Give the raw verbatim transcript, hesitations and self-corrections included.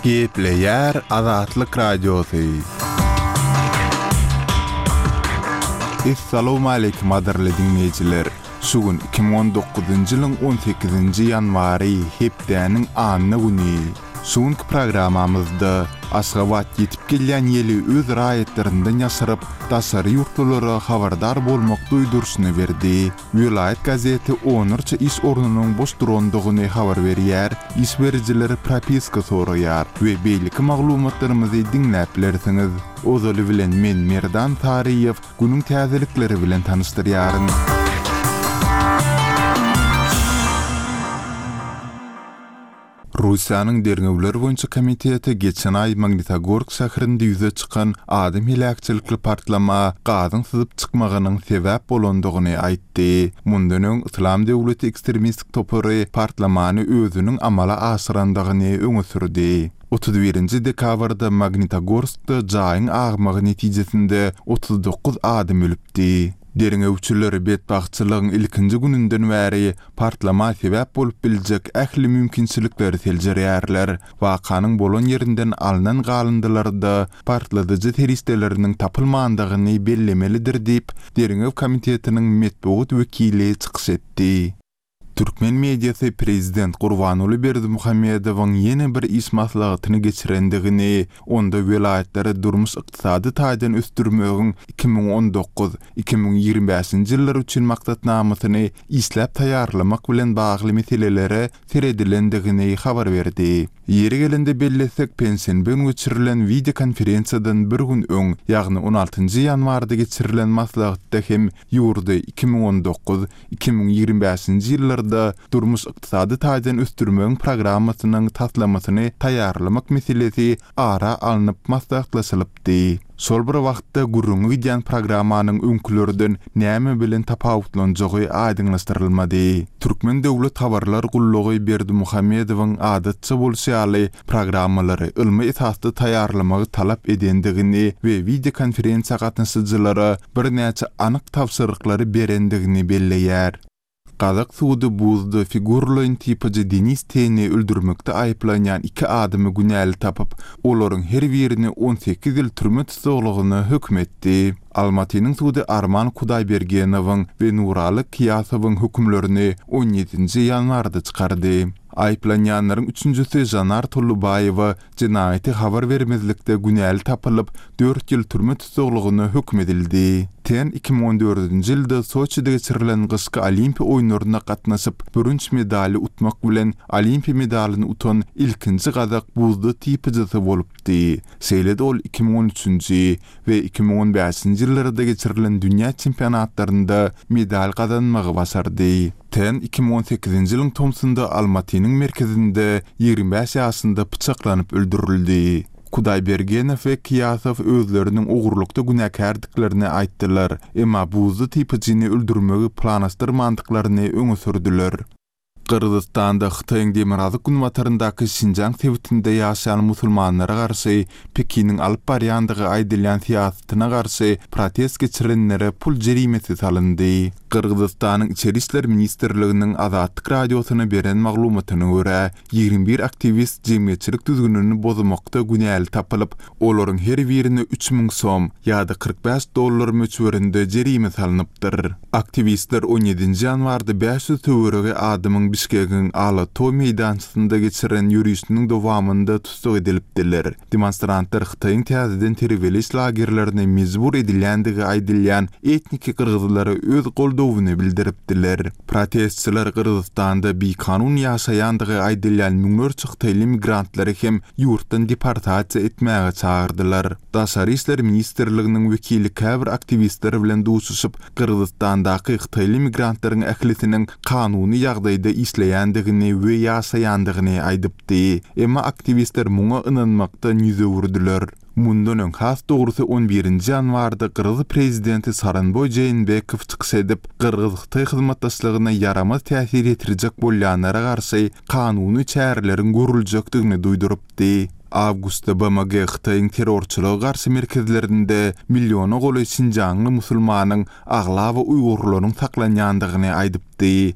Gepleýär Azatlyk Radiosy. Essalawmaleýkim gadyrly diňleýjiler! Şu gün iki müň on dokuzynjy ýylyň on sekizinji ýanwary, hepdäniň anna güni. Şu günki programmamyzda Aşgabat ýetip gelýän ýeli öz raýatlaryndan ýaşyryp, daşary ýurtlulara habardar bolmak duýduryşyny berdi. Welaýat gazeti onlarça iş ornunyň boş durandygyny habar berýär, iş berijiler propiska soraýar we beýleki maglumatlarymyzy diňläp bilersiňiz. Ozaly bilen men Merdan Saryýew günüň täzelikleri bilen tanyşdyrýaryn. Russiýanyň derňewler boýunça komiteti geçen aý Magnitogorsk şäherinde ýüze çykan adam heläkçilikli partlama gazyň syzyp çykmagynyň sebäp bolandygyny aýtdy. Mundan öň Yslam döwleti ekstremistik topary partlamany özüniň amala aşyrandygyny öňe sürdi. Otuz birinji dekabrda Magnitogorskda jaýyň agmagy netijesinde otuz dokuz adam ölüpdi. Derňewçiler betbagtçylygyň ilkinji gününden bäri partlama sebäp bolup biljek ähli mümkinçilikleri seljerýärler. Wakanyň bolan ýerinden alnan galyndylarda partladyjy serişdeleriniň tapylmandygyny bellemelidir diýip, Derňew komitetiniň metbugat wekili çykyş etdi. Türkmen mediasy prezident Gurbanguly Berdimuhamedowyň ýene bir iş maslahatyny geçirendigini, onda welaýatlary durmuş-ykdysady taýdan ösdürmegiň iki müň on dokuz, iki müň ýigrimi bäşinji ýyllar üçin maksatnamasyny işläp taýýarlamak bilen bagly meselelere seredilendigini habar berdi. Ýeri gelende bellesek, penşenbe gün geçirilen wideokonferensiýadan bir gün öň, ýagny on altynjy ýanwarda geçirilen maslahatda hem ýurdy iki müň on dokuz, iki müň ýigrimi bäşinji ýyllarda durmuş-ykdysady taýdan ösdürmegiň programmasynyň taslamasyny taýýarlamak meselesi ara alnyp maslahatlaşylypdy. Şol bir wagtda gürrüňi gidýän programmanyň öňkülerden näme bilen tapawutlanjagy aýdyňlaşdyrylmady. Türkmen döwlet habarlar gullugy Berdimuhamedowyň adatça bolşy ýaly programmalary ylmy esasda taýýarlamagy talap edendigini we wideokonferensiýa gatnaşyjylara birnäçe anyk tabşyryklary berendigini belleýär. Gazak sudy buzda figurlaýyn typajy Denis Teni öldürmekde aýyplanýan iki adamy günäli tapyp, olaryň her birini on sekiz ýyl türme tussaglygyna höküm etdi. Almatynyň sudy Arman Kudaýbergenowyň we Nuraly Kyýasowyň hökümlerini on ýedinji ýanwarda çykardy. Aýyplanýanlaryň üçünjisi Janar Tollubaýewa jenaýaty habar bermezlikde günäli tapylyp, dört ýyl türme tussaglygyna höküm edildi. Ten iki müň on dördünji ýylda Soçide geçirilen gyşky olimpiýa oýunlaryna gatnaşyp, bürünç medaly utmak bilen olimpiýa medalyny utan ilkinji gazak buzda typyjysy bolupdy. Şeýle-de ol iki müň on üçünji we iki müň on bäşinji ýyllarda geçirilen dünýä çempionatlarynda medal gazanmagy başardy. Ten iki müň on sekizinji ýylyň tomsunda Almatynyň merkezinde ýigrimi bäş ýaşynda pyçaklanyp öldürildi. Kudaýbergenow we Kyýasow özleriniň ogurlykda günäkärdiklerini aýtdylar, emma buzda typyjyny öldürmegi planlaşdyrmandyklaryny öňe sürdüler. Gyrgyzystanda Hytaýyň demirgazyk günbataryndaky Şinjaň sebitinde ýaşaýan musulmanlara garşy Pekiniň alyp barýandygy aýdylýan syýasatyna garşy protest geçirenlere pul jerimesi salyndy. Gyrgyzystanyň Içeri işler ministrliginiň Azatlyk radiosyna beren maglumatyna görä, ýigrimi bir aktiwist jemgyýetçilik düzgünini bozmakda günäli tapylyp, olaryň her birine üç müň som ýa-da kyrk bäş dollar möçberinde jerime salnypdyr. Aktiwistler on ýedinji ýanwarda bäş ýüz töweregi adamyň Bişkegiň Ala-Too meýdançasynda geçiren ýörişiniň dowamynda tussag edilipdiler. Demonstrantlar Hytaýyň täzeden terbiýeleýiş lagerlerine mejbur edilýändigi aýdylýan etniki gyrgyzlara öz goldawyny bildiripdiler. Protestçiler Gyrgyzystanda bikanun ýaşaýandygy aýdylýan müňlerçe hytaýly migrantlary hem ýurtdan deportasiýa etmäge çagyrdylar. Daşary işler ministrliginiň wekili käbir aktiwistler bilen duşuşyp, Gyrgyzystandaky hytaýly migrantlaryň ählisiniň kanuny ýagdaýda işleýändigini we ýaşaýandygyny aýdypdy. Emma aktiwistler muňa ynanmakdan ýüz öwürdiler. Mundan öň has dogrusy on birinji ýanwarda Gyrgyz prezidenti Soronboý Jeenbekow çykyş edip, Gyrgyz-Hytaý hyzmatdaşlygyna ýaramaz täsir ýetirjek bolýanlara garşy kanuny çäreleriň görüljekdigini duýdurypdy. Awgustda B M G Hytaýyň terrorçylyga garşy merkezlerinde milliona golaý Şinjaňly musulmanyň aglaba uýgurlaryň saklanýandygyny aýdypdy.